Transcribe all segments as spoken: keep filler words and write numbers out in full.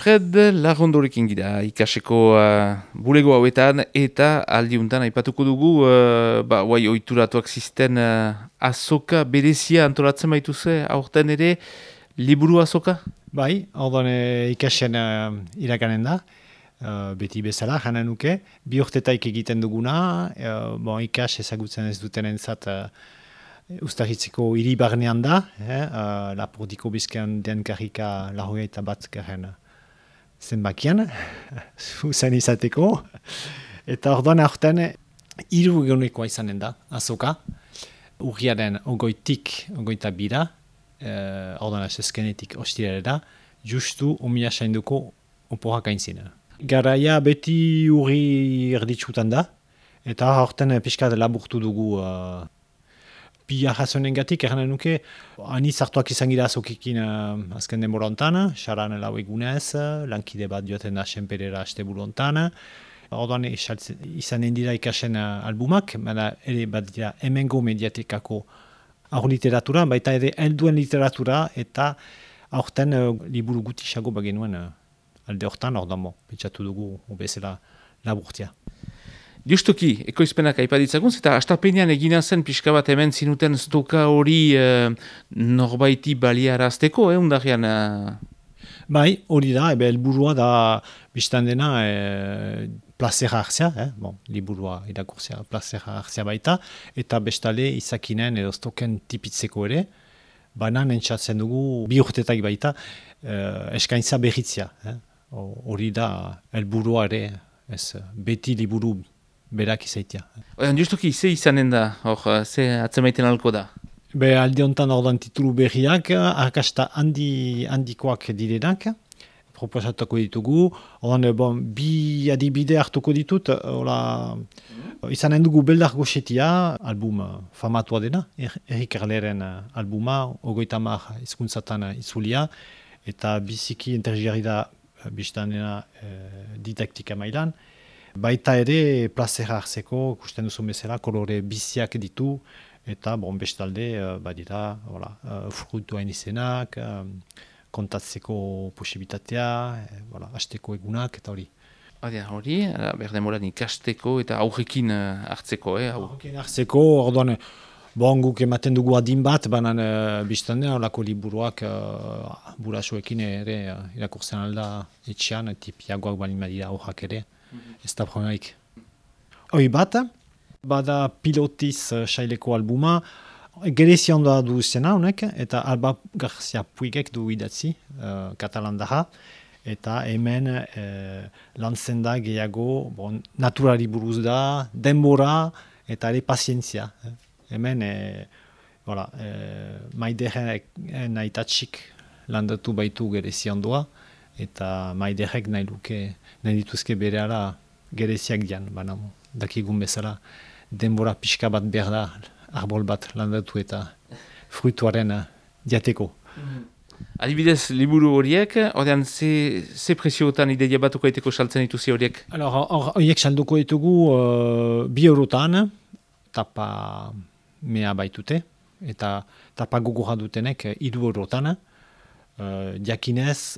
Fred Larrondorekin gira ikaseko uh, bulego hauetan eta aldiuntan aipatuko dugu uh, ba, guai oituratuak zisten uh, azoka berezia antolatzen baituze aurten ere liburu azoka? Bai, orduan ikasen uh, irakanen da, uh, beti bezala, jana nuke, bi urtetaik egiten duguna, uh, bon, ikas ezagutzen ez duten entzat uh, Uztahitzeko hiri barnean da, eh, uh, Lapordiko bizkean den karrika lahogeita bat garen zenbakian, zuzen izateko. Eta orduan aurten hiru egunekoa izanen da, azoka. Urriaren ogoitik, ogoita bira, eh, orduan asezkenetik ostirere da, justu omia sainduko oporak aintzina. Garaia beti urri erditsutan da, eta aurten pixkat laburtu dugu uh, bi arrazonen gatik, erranen nuke, ani zartuak izan gira azokikin uh, azken denbora ontan, xaran lau egunez, lankide bat joaten da senperera asteburu ontan. Orduan izanen dira ikasen uh, albumak, baina ere bat dira hemengo mediatekako aur literatura, baita ere helduen literatura, eta aurten uh, liburu gutisago bagenuen uh, alde hortan, orduan bo, pentsatu dugu obezela laburtia. Justuki, ekoizpenak aipaditzagun, eta astapenean egina zen pixka bat hemen zinuten stoka hori e, norbaiti baliarazteko, eh, undarian? E... Bai, hori da, ebe helburua da biztan dena e, plazera hartzea, eh? Bon, liburua irakurtzea plazera hartzea baita, eta bestale izakinen edo stoken tipitzeko ere, banan entzatzen dugu bi urtetak baita e, eskaintza berritzea. Hori eh? Da helburua ere, ez, beti liburu berak izaitia. Oian, justuki, ze izanen da, hor, ze atzemaiten alko da? Be, alde honetan ordan titulu berriak, arkasta handi, handikoak direnak, proposatuko ditugu, ordan, bon, bi adibide hartuko ditut, ola, mm. izanen dugu Beldar Goxetia, album famatua dena, Erik Erleren albuma, ogoita mar hizkuntzatan itzulia, eta biziki intergiarri da biztan dena eh, didaktika mailan. Baita ere, plazera hartzeko, ikusten duzu bezala, kolore biziak ditu, eta bon, bestalde, uh, badira, voilà, uh, fruituen izenak, uh, kontatzeko posibitatea, eh, voilà, hasteko egunak, eta hori. Hori, hori, berdemoran ikasteko eta aurrekin uh, hartzeko, eh? Aurrekin hartzeko, orduan, bon, guk ematen dugu adin bat, banan uh, biztande, horako liburuak uh, burasoekin ere uh, irakurtzen alda etxean, tipiagoak balin badira aurrak ere. Ez da problemaik. Hoi bat, bada pilotiz uh, saileko albuma, gerezi ondoa du zena honek, eta Alba Garcia Puigek du idatzi, uh, katalandaha, eta hemen uh, lantzen da gehiago, bon, naturari buruz da, denbora, eta ere pazientzia. Hemen, eh, voilà, eh, maiderek nahitatxik landatu baitu gerezi ondoa, eta maiderek nahi luke, nahi dituzke berehala gereziak dian, baina dakigun bezala denbora pixka bat behar da, arbol bat landatu eta fruituaren diateko. Mm-hmm. Adibidez, liburu horiek, ordean, ze, ze presioetan ideia batuko aiteko saltzen dituzi horiek? Horiek salduko ditugu uh, bi eurotan, tapa mea baitute, eta tapa gogorra dutenek hiru eurotan, uh, diakinez,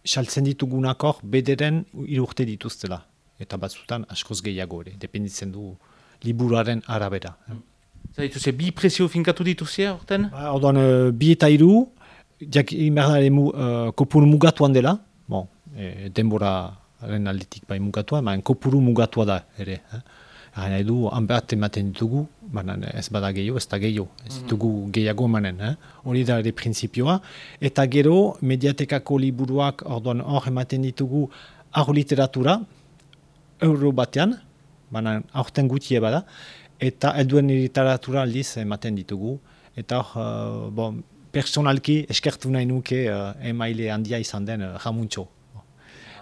saltzen ditugunak hor, bederen irurte dituztela. Eta batzutan askoz gehiago ere, dependitzen du liburuaren arabera. Zer dituze, bi presio finkatu dituzia horten? Ba, orduan, bi eta hiru, inberdare mu, uh, kopuru mugatuan dela, bon, e, denboraren aldetik bai mugatua, baina kopuru mugatua da ere. Eh? Gara nahi du, hanbat ematen ditugu, baina ez bada gehiago, ez da gehiago, ez ditugu gehiago emanen. Eh? Hori da ere printzipioa. Eta gero, mediatekako liburuak orduan hor ematen ditugu aur literatura, euro batean, baina aurten gutie bada, eta helduen literatura aldiz ematen ditugu. Eta hor, uh, bon, personalki eskertu nahi nuke uh, emaile handia izan den uh, Ramuntxo.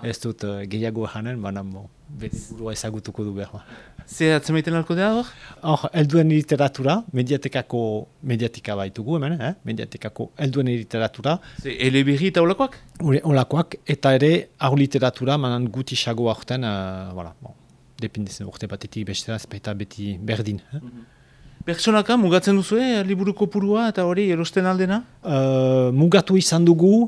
Ez dut uh, gehiago janen, baina bon, bere burua ezagutuko du behar. Ze atzemaiten alko da hor? Hor, helduen literatura, mediatekako, mediatika baitugu hemen, eh? mediatekako helduen literatura. Ze eleberri eta olakoak? Olakoak, eta ere aur literatura, manan gutisago aurten, uh, voilà, bon, dependezen urte batetik bestera, eta beti berdin. Eh? Mm-hmm. Pertsonaka mugatzen duzu, eh? Liburu kopurua eta hori erosten aldena? Uh, mugatu izan dugu,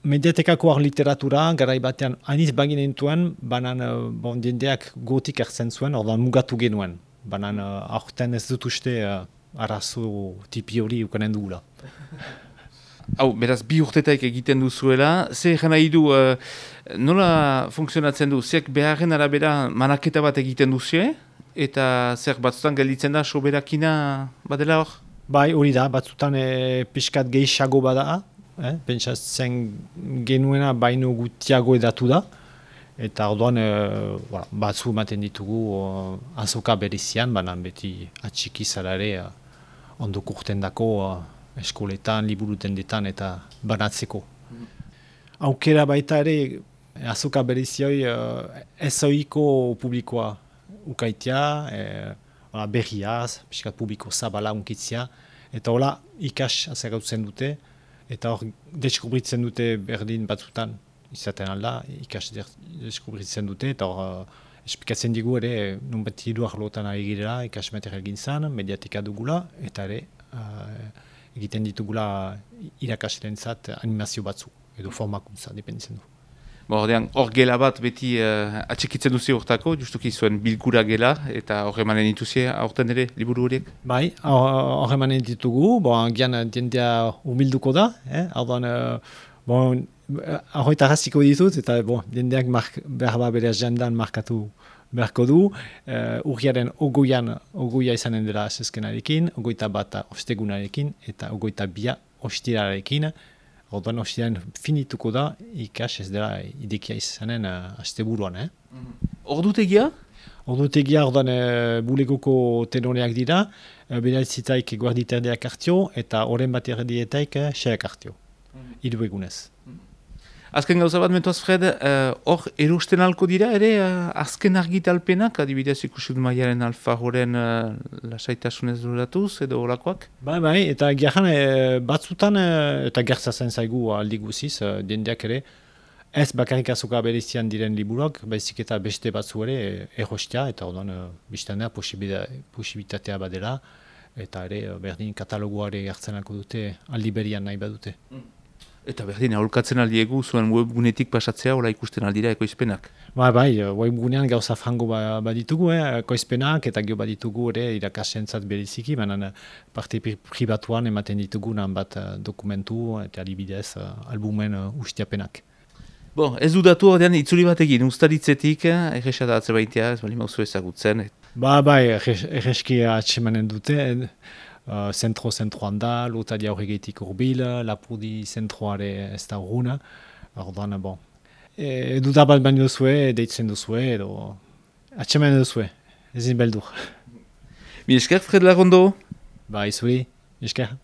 mediatekako ar literatura, garai batean aniz baginen duen, banan uh, bon, jendeak gotik hartzen zuen, ordan mugatu genuen. Banan uh, aurten ez dut uste uh, arazo tipi hori ukanen dugula. Hau, beraz, bi urtetaik egiten duzuela, ze egin nahi du, uh, nola funtzionatzen du, zeak beharren arabera manaketa bat egiten duzue, eta zer batzutan gelditzen da soberakina badela hor? Bai, hori da, batzutan e, pixkat gehiago bada, eh? Pentsatzen genuena baino gutiago edatu da, eta orduan e, voilà, batzu ematen ditugu uh, azoka berezian, banan beti atxiki zarare uh, ondo kurten dako, uh, eskoletan, liburutendetan eta banatzeko. Mm. Aukera baita ere, azoka berezioi uh, ez ohiko publikoa ukaitia, e, berriaz, pixkat publiko zabala unkitzia, eta hola ikas azerautzen dute, eta hor deskubritzen dute berdin batzutan, izaten alda, ikas deskubritzen dute, eta hor uh, espikatzen digu ere, nun bat hiru arlotan ari girela, ikas material gintzan, mediatika dugula, eta ere, uh, egiten ditugula irakaslerentzat animazio batzu, edo formakuntza, dependitzen du. Bo, ordean, hor gela bat beti uh, atxikitzen duzi hortako, justuki zuen bilkura gela, eta hor emanen dituzie aurten ere, liburu horiek? Bai, hor emanen ditugu, bon, gian diendea humilduko da, eh? Ordan, uh, bon, ahoita rasiko ditut, eta bon, diendeak mark, behar ba bere agendan markatu beharko du, uh, urriaren ogoian, ogoia izanen dela aseskenarekin, ogoita bata ostegunarekin, eta ogoita bia ostirarekin. Orduan ostiran finituko da, ikas ez dela idekia izanen uh, asteburuan. Eh? Mm-hmm. Ordutegia? Ordutegia orduan uh, bulegoko tenoreak dira, uh, bedaitzitaik guarditerdeak hartio, eta oren bat erdietaik uh, xeak hartio. Mm-hmm. Hiru egunez. Mm-hmm. Azken gauza bat, mentoaz Fred, hor uh, erosten alko dira, ere uh, azken argitalpenak, adibidez ikusut maiaren alfajoren uh, lasaitasunez duratuz, edo olakoak? Bai, bai, eta gerran e, batzutan, e, eta gertzatzen zaigu aldi guziz, e, diendeak ere, ez bakarrik azoka berezian diren liburuak, baizik eta beste batzu ere e, erostia, eta orduan e, biztanea posibitatea badela, eta ere berdin katalogoare hartzen alko dute aldi berian nahi badute. Mm. Eta berdin, aholkatzen aldiegu zuen webgunetik pasatzea, hola ikusten aldira ekoizpenak? Ba, bai, webgunean gauza frango baditugu, eh, ekoizpenak, eta gio baditugu ere irakasentzat beriziki, baina parte pribatuan ematen ditugu nan bat dokumentu eta adibidez albumen ustiapenak. Bon, ez du datu ordean itzuli batekin, ustaritzetik, erresa da atzebaitea, ez bali mauzu ezagutzen. Et... Ba, bai, erreski atsemanen dute, Uh, zentro zentroan da, lotadia horregetik urbil, lapurdi zentroare ez da urruna. Ordan, bon. E, dudabat baino duzue, deitzen duzue, edo atxemen duzue, ezin beldur. Mi esker, Fred Larondo? Ba, izuri, esker.